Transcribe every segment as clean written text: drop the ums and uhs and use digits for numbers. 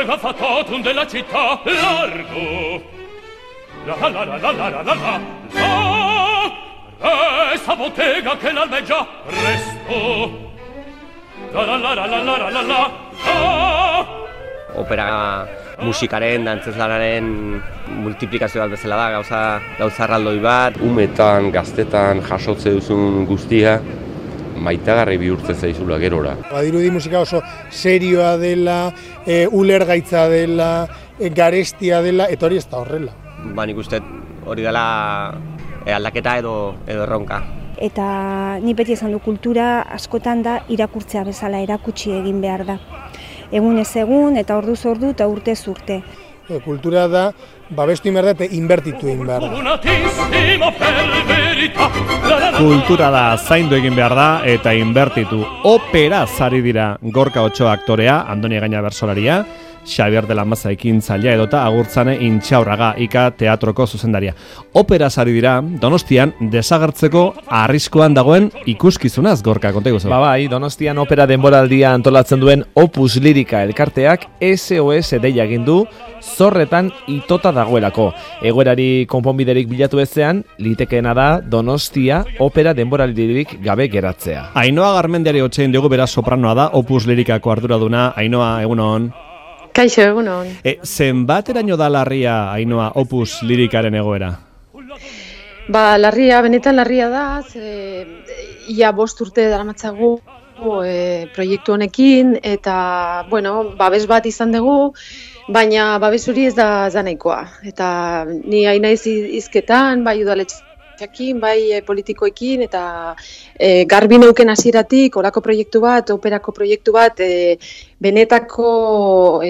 mega fatotum della città largo. La la la la la la la la la. Esta bottega che l'albeggia presto. La la la la la la la la. Opera musikaren, dantzeslanaren multiplikazio bat bezala da, gauza erraldoi bat. Umetan, gaztetan jasotze duzun guztia, maitagarri bihurtzen zaizula gerora. Badirudi musika oso serioa dela, ulergaitza dela, garestia dela, eta hori ez da horrela. Nik uste hori dela aldaketa edo erronka. Eta ni beti esan du kultura askotan da irakurtzea bezala, erakutsi egin behar da. Egunez egun eta orduz ordu eta urtez urte. Kultura da, babestu inberda eta inbertitu inberda. Kultura da, zaindu egin behar da eta inbertitu. Opera zari dira Gorka Otxoa aktorea, Andoni Egaña bersolaria, Xabier de la Maza ekintzailea edota Agurtzane Intxaurraga Ika teatroko zuzendaria. Opera zari dira Donostian desagertzeko arriskuan dagoen ikuskizunaz, Gorka, konta iguzu. Bai, Donostian opera denboraldia antolatzen duen Opus Lirika elkarteak SOS deia egin du zorretan itota dagoelako. Egoerari konponbiderik bilatu ezean, litekeena da Donostia opera denboraldirik gabe geratzea. Ainhoa Garmendiari hotzein dugu, beraz sopranoa da Opus Lirikako arduraduna. Ainhoa, egunon. Kaixo, egunon. Zenbateraino da larria, Ainhoa, Opus Lirikaren egoera? Benetan larria da, ia 5 urte daramatzagu proiektu honekin, eta, babes bat izan dugu, baina babes hori ez da nahikoa. Eta ni hain naiz hizketan, bai udaletxeekin, bai politikoekin, eta garbi neuken hasieratik olako proiektu bat, operako proiektu bat, benetako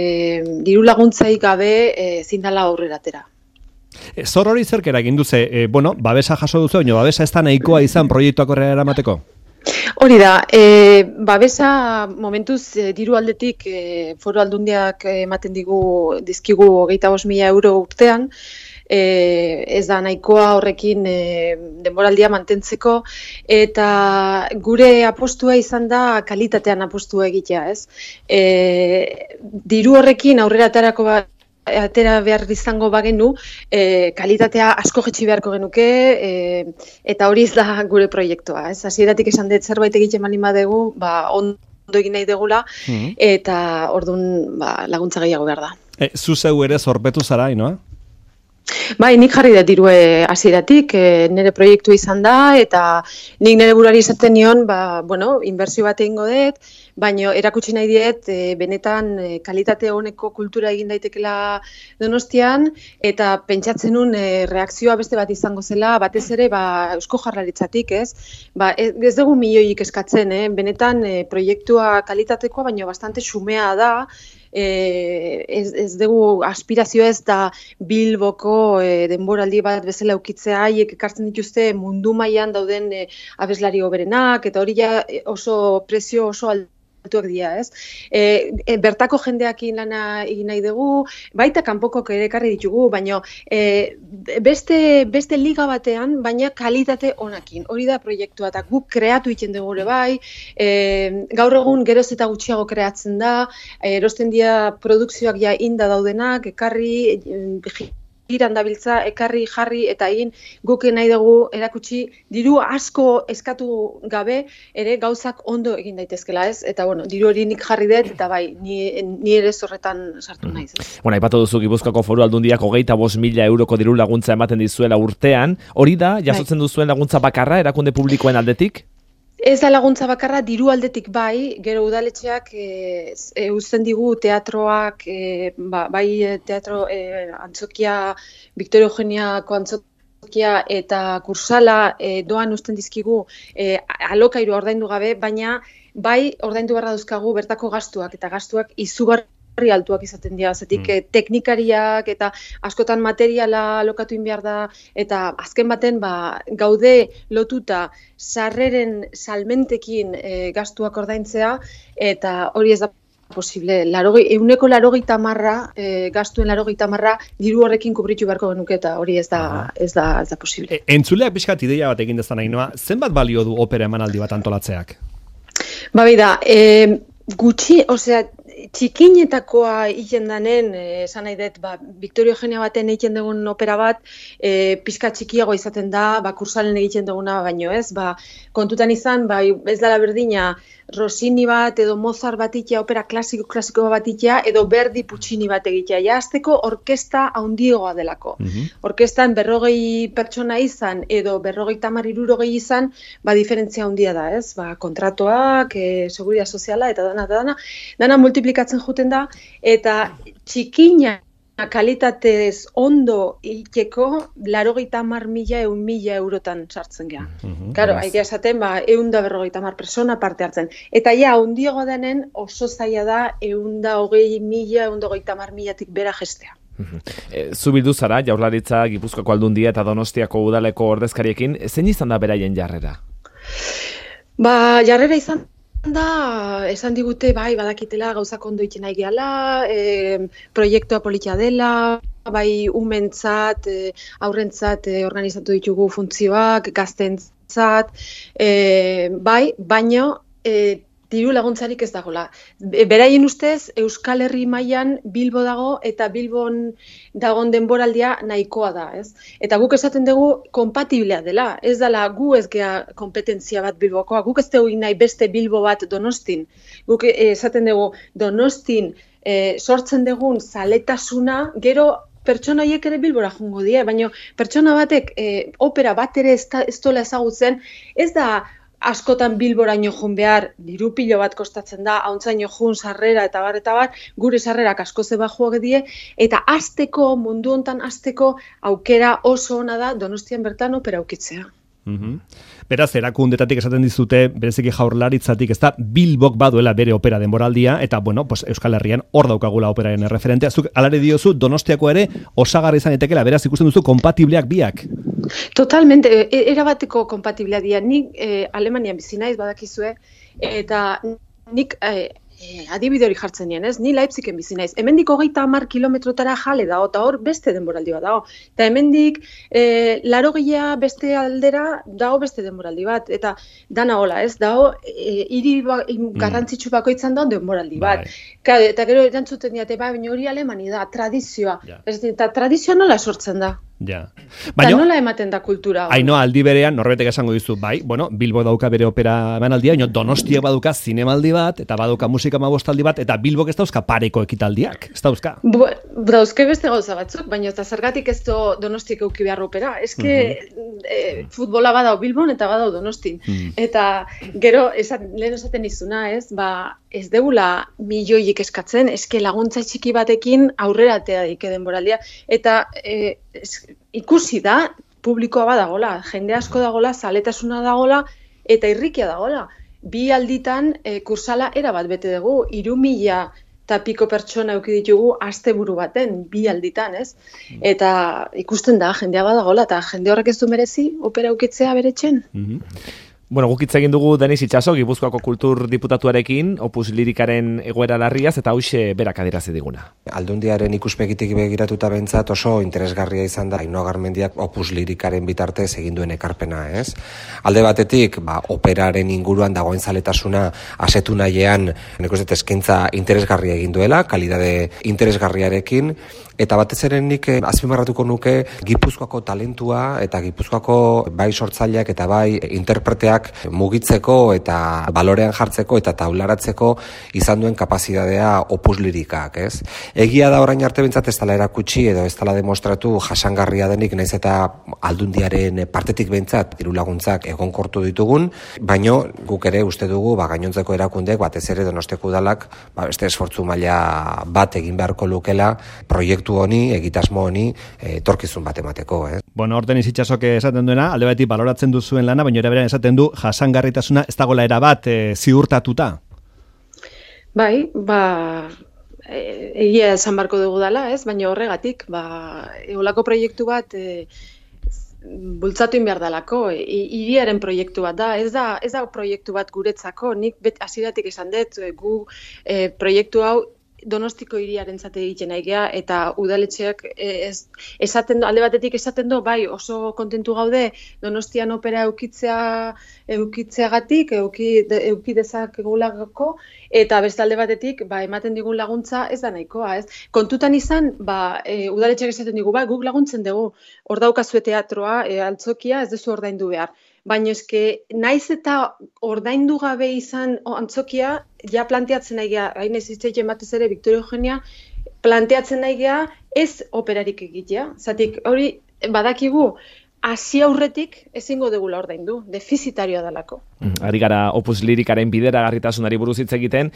diru laguntzaik gabe zindala aurrera atera. Zor hori zerk eragin duze, babesa jaso duzu, baina babesa ez da nahikoa izan proiektuak horrela eramateko? Hori da, babesa momentuz diru aldetik Foru Aldundiak ematen dizkigu 25.000 euro urtean, ez da nahikoa horrekin denboraldia mantentzeko, eta gure apostua izan da kalitatean apostua egitea, ez? Diru horrekin aurrera atera behar izango bagenu, kalitatea asko jetxi beharko genuke, eta hori ez da gure proiektua, ez? Hasieratik esan dut zerbait egiten baldin badegu, ondo egin nahi degula, eta orduan laguntza gehiago behar da. Zu zeu ere zorpetu zara, Ainhoa? Bai, nik jarri dut dirue hasieratik, nire proiektu izan da, eta nik nire buruari izaten nion, inbertsio bat egingo dut, baina erakutsi nahi diet, benetan kalitate honeko kultura egin daitekela Donostian, eta pentsatzen nun reakzioa beste bat izango zela, batez ere Eusko Jaurlaritzatik, ez? Ez dugu milioik eskatzen, benetan proiektua kalitatekoa, baina bastante xumea da, ez dugu aspirazio ez da Bilboko denboraldi bat bezala ukitzea, haiek ekartzen dituzte mundu mailan dauden abeslari hoberenak, eta hori oso prezio oso altuak dira, ez? Bertako jendeakin lana egin nahi dugu, baita kanpokok ere ekarri ditugu, baina beste liga batean, baina kalitate onakin. Hori da proiektua, eta guk kreatu egiten dugu ere bai, gaur egun geroz eta gutxiago kreatzen da, erosten dira produkzioak ja inda daudenak, ekarri, giran dabiltza, ekarri, jarri, eta egin guk nahi dugu erakutsi diru asko eskatu gabe ere gauzak ondo egin daitezkela, ez? Eta diru hori nik jarri dut, eta bai, ni ere zorretan sartu naiz. Aipatu duzu Gipuzkoako Foru Aldundiak 25.000 euroko diru laguntza ematen dizuela urtean, hori da, jasotzen duzuen laguntza bakarra, erakunde publikoen aldetik? Ez da laguntza bakarra, diru aldetik bai, gero udaletxeak uzten digu teatroak, bai teatro antzokia, Victoria Eugeniako antzokia eta kursala doan uzten dizkigu alokairu ordaindu gabe, baina bai ordaindu beharra dauzkagu bertako gastuak, eta gastuak izugarri altuak izaten dira, zetik teknikariak eta askotan materiala alokatu behar da, eta azken baten gaude lotuta sarreren salmentekin gastuak ordaintzea, eta hori ez da posible. 180 gastuen 80 diru horrekin kubritu beharko genuke, eta hori ez da posible. Entzuleak pixkat ideia bat egin dezan, Ainhoa, zenbat balio du opera emanaldi bat antolatzeak? Bai da, gutxi, txikinetakoa egiten danen, esan nahi dut, Victorio Eugenia baten egiten dugun opera bat, pixka txikiago izaten da, kursalen egiten duguna baino ez, kontutan izan, ez dela berdina, Rossini bat edo Mozart bat itea, opera klasiko bat itea, edo Verdi Puccini bat egitea. Ja, azteko orkesta haundiegoa delako. Orkestan 40 pertsona izan, edo 50-60 izan, diferentzia handia da, ez? Kontratoak, seguridad soziala, eta dana multiplikatzen juten da, eta txikina kalitatez ondo ikeko 80.000 eurotan sartzen geha. Claro, haidea esaten, 150 persona parte hartzen. Eta ja, handiago denen oso zaila da 120.000, 130.000tik bera gestea. Zu bildu zara, Jaurlaritza, Gipuzkoako Aldundia eta Donostiako udaleko ordezkariekin, zein izan da beraien jarrera? Jarrera izan da, esan digute, badakitela gauzak ondo iten nahi gehala, proiektua politia dela, umentzat, aurrentzat organizatu ditugu funtzioak, gaztentzat, baino diru laguntzarik ez dagoela. Beraien ustez, Euskal Herri mailan Bilbo dago eta Bilbon dagoen denboraldia nahikoa da, ez? Eta guk esaten dugu kompatiblea dela, ez dela gu ez gea kompetentzia bat Bilbokoa, guk ez dugu nahi beste Bilbo bat Donostin. Guk esaten dugu Donostin sortzen dugun zaletasuna, gero pertsona horiek ere Bilbora jungo die, baina pertsona batek opera bat ere ez dola ezagutzen, ez da askotan Bilboraino jun behar, diru pilo bat kostatzen da, hauntzaino jun sarrera eta bar, gure sarrerak asko zeba joak die, eta mundu hontan azteko aukera oso ona da Donostian bertan opera aukitzea. Beraz, erakundetatik esaten dizute, bereziki Jaurlaritzatik, ez da, Bilbok baduela bere opera denboraldia, eta, Euskal Herrian hor daukagula operaren referentea. Zuk alare diozu, Donostiako ere osagarri izan etekela, beraz, ikusten duzu, kompatibleak biak. Totalmente, erabateko kompatibleak dira. Nik Alemanian bizi naiz badakizue, eta nik adibide hori jartzen nien, ez? Ni Leipzigen bizi naiz. Hemendik 30 kilometrotara jale dago, eta hor beste denboraldi bat dago. Eta hemendik 80 beste aldera dago beste denboraldi bat. Eta dana hola, ez? Dago hiri garrantzitsu bakoitzan dago denboraldi bat. Eta gero erantzuten diate, baina hori Alemania da, tradizioa. Eta tradizioa nola sortzen da? Eta nola ematen da kultura? Ainhoa, aldi berean, norbetek esango dizu, Bilbo dauka bere opera emanaldia, baina Donostia baduka zinemaldi bat, eta baduka musika amabostaldi bat, eta Bilbok ez dauzka pareko ekitaldiak, ez dauzka? Dauzke beste gauza batzuk, baina eta zergatik ez Donostiak euki behar opera. Futbola badau Bilbon eta badau Donostin. Eta gero, lehen esaten izuna, ez? Ez deula milioiek eskatzen, laguntza txiki batekin aurrera atea dike denboraldia. Eta ikusi da, publikoa badagola, jende asko dagola, zaletasuna dagola, eta irrikia dagola. Bi alditan kursala erabat bete dugu, 3.000 eta piko pertsona euki ditugu asteburu baten, bi alditan, ez? Eta ikusten da, jendea badagola, eta jende horrek ez du merezi, opera eukitzea beretxen. Guk hitz egin dugu Denis Itxaso, Gipuzkoako Kultur Diputatuarekin, Opus Lirikaren egoera larriaz, eta hauxe berak adierazi diguna. Aldundiaren ikuspegitik begiratuta bentzat oso interesgarria izan da Ainhoa Garmendiak Opus Lirikaren bitartez egin duen ekarpena, ez? Alde batetik, operaren inguruan dagoen zaletasuna asetu nahian, nik uste eskaintza interesgarria egin duela, kalidade interesgarriarekin, eta batez ere nik azpimarratuko nuke Gipuzkoako talentua eta Gipuzkoako bai sortzaileak eta bai interpreteak mugitzeko eta balorean jartzeko eta taularatzeko izan duen kapazitatea Opus Lirikak, ez? Egia da orain arte bentzat ez dela erakutsi edo ez dela demostratu jasangarria denik, naiz eta Aldundiaren partetik bentzat diru laguntzak egonkortu ditugun, baino guk ere uste dugu gainontzeko erakundeek batez ere Donostiako udalak beste esfortzu maila bat egin beharko lukela proiektu honi, egitasmo honi etorkizun bat emateko, eh? Hor Denis Itxasok esaten duena, alde batetik baloratzen duzuen lana, baina eraberan esaten du jasangarritasuna ez dagoela erabat ziurtatuta. Bai, egia esan barko dugu dela, ez? Baina horregatik, eolako proiektu bat bultzatu behar dalako, hiriaren proiektu bat da, ez da proiektu bat guretzako, nik hasieratik esan dut, gu proiektu hau Donostiko hiriarentzat egiten naigea eta udaletxeak esaten du, alde batetik esaten du, bai oso kontentu gaude Donostian opera eukitzeagatik, euki dezakegulako, eta beste alde batetik ematen digun laguntza ez da nahikoa, ez? Kontutan izan, udaletxeak esaten digu, guk laguntzen dugu, hor daukazue teatroa, altzokia, ez duzu ordaindu behar. Baina eske, naiz eta ordaindu gabe izan antzokia, ja planteatzen nahi geha, hain ez hitzeiten batez ere, Victoria Eugenia, planteatzen nahi geha, ez operarik egitea. Zatik, hori, badakigu, hasi aurretik ezingo degula ordaindu, defizitarioa dalako. Ari gara Opus Lirikaren bideragarritasunari buruz hitz egiten.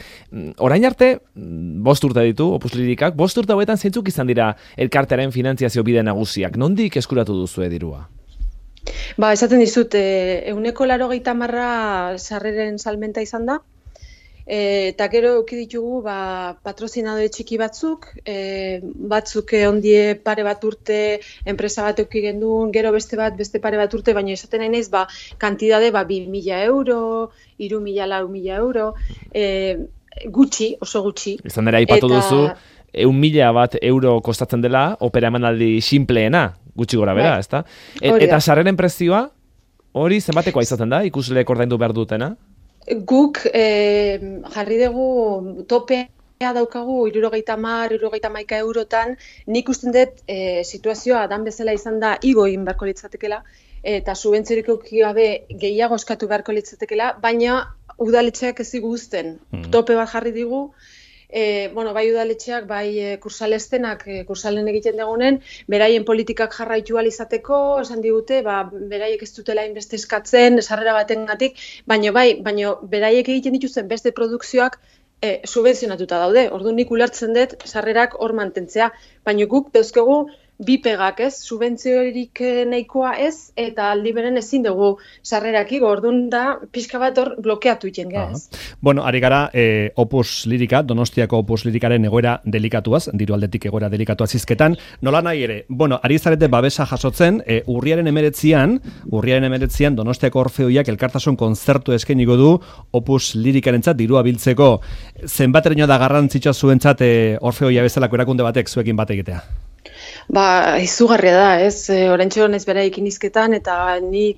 Orain arte, 5 urte ditu Opus Lirikak, 5 urte hauetan zeintzuk izan dira elkartearen finantziazio bide nagusiak. Nondik eskuratu duzue dirua? Esaten dizut, 180 sarreren salmenta izan da, eta gero euki ditugu patrozinadore txiki batzuk, batzuk ondie pare bat urte enpresa bat euki gendun, gero beste pare bat urte, baina esaten nahi naiz, kantidade 2.000 euro, 3.000, 4.000 euro, gutxi, oso gutxi. Izan dira aipatu duzu, 1.000 euro kostatzen dela opera emanaldi sinpleena, gutxi gora bera, ezta? Eta sarreren prezioa, hori zenbatekoa izaten da, ikusleek ordaindu behar dutena? Guk jarri dugu topea daukagu 70-71 eurotan, nik usten dut situazioa dan bezala izan da igo egin beharko litzatekela, eta subentziorik euki gabe gehiago eskatu beharko litzatekela, baina udaletxeak ez diguzten. Tope bat jarri digu, bai udaletxeak, bai kursalestenak, kursalen egiten dagoenen, beraien politikak jarraitu izateko, esan digute, beraiek ez dutela inbeste eskatzen, sarrera batengatik, baina beraiek egiten dituzten beste produkzioak subentzionatuta daude. Orduan nik ulertzen dut sarrerak hor mantentzea, baina guk dauzkegu bi pegak, ez? Subentziorik nahikoa ez, eta aldi beren ezin dugu sarrerak igo, orduan da pixka bat hor blokeatu iten geha, ez? Bueno, ari gara Opus Lirika, Donostiako Opus Lirikaren egoera delikatuaz, diru aldetik egoera delikatuaz izketan, nola nahi ere, ari zarete babesa jasotzen, urriaren 19 Donostiako Orfeoiak elkartasun kontzertu eskainiko du Opus Lirikarentzat dirua biltzeko. Zenbateraino da garrantzitsua zuentzat Orfeoia bezalako erakunde batek zuekin bat egitea? Izugarria da, ez? Oraintxe honez beraikin izketan, eta ni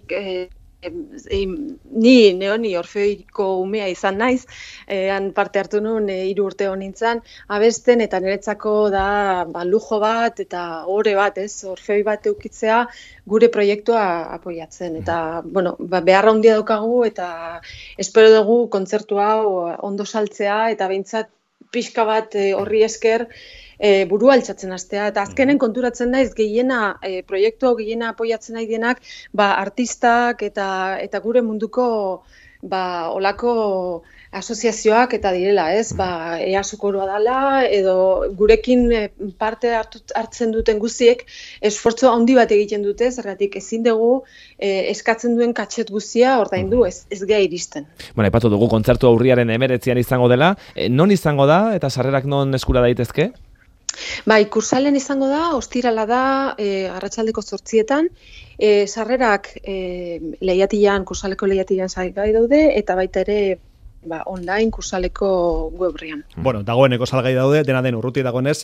Orfeoiko umea izan naiz, han parte hartu nuen 3 urte honintzan, abesten, eta niretzako da lujo bat, eta ore bat, ez? Orfeoi bat eukitzea gure proiektua apoiatzen. Eta, beharra handia daukagu, eta espero dugu kontzertu hau ondo saltzea, eta behintzat pixka bat horri esker, burua altxatzen hastea, eta azkenen konturatzen naiz proiektu hau gehiena apoiatzen nahi dienak, artistak eta gure munduko olako asoziazioak eta direla, ez? EASO-koroa dela, edo gurekin parte hartzen duten guztiek esfortzu handi bat egiten dute, zergatik ezin dugu eskatzen duen katxet guztia ordaindu, ez geha iristen. Aipatu dugu kontzertu urriaren 19 izango dela, non izango da eta sarrerak non eskura daitezke? Kursalen izango da, ostirala da, arratsaldeko 8etan, sarrerak kursaleko lehiatilan salgai daude, eta baita ere online kursaleko webrian. Dagoeneko salgai daude, dena den urruti dagoenez,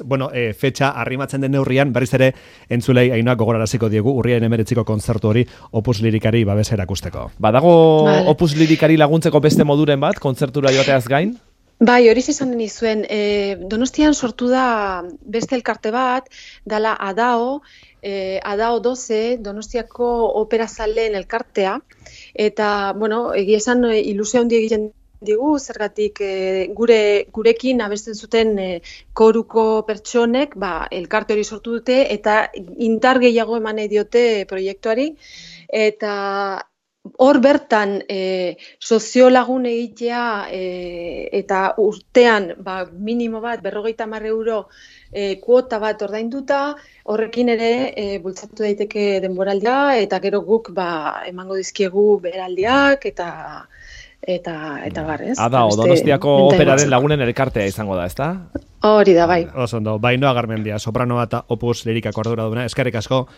fetxa arrimatzen den neurrian, berriz ere entzulei Ainoak gogoraraziko diegu, urriaren 19ko kontzertu hori Opus Lirikari babesa erakusteko. Badago Opus Lirikari laguntzeko beste moduren bat, kontzertura joateaz gain? Hori izan nizuen, Donostian sortu da beste elkarte bat, dala ADAO 12, Donostiako operazaleen elkartea, eta, egia esan ilusio handi egiten digu, zergatik gurekin abesten zuten koruko pertsonek, elkarte hori sortu dute, eta indar gehiago eman nahi diote proiektuari, eta hor bertan soziolagun egitea eta urtean minimo bat 50 euro kuota bat ordainduta, horrekin ere bultzatu daiteke denboraldia, eta gero guk emango dizkiegu beraldiak eta bar, ez? Donostiako operaren lagunen elkartea izango da, ezta? Hori da, bai. Oso ondo, Ainoa Garmendia, sopranoa eta Opus Lirikako arduraduna, eskerrik asko,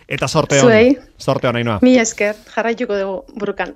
eta sorte hon. Zuei. Sorte hon, Ainoa. Mila esker, jarraituko dugu burukan.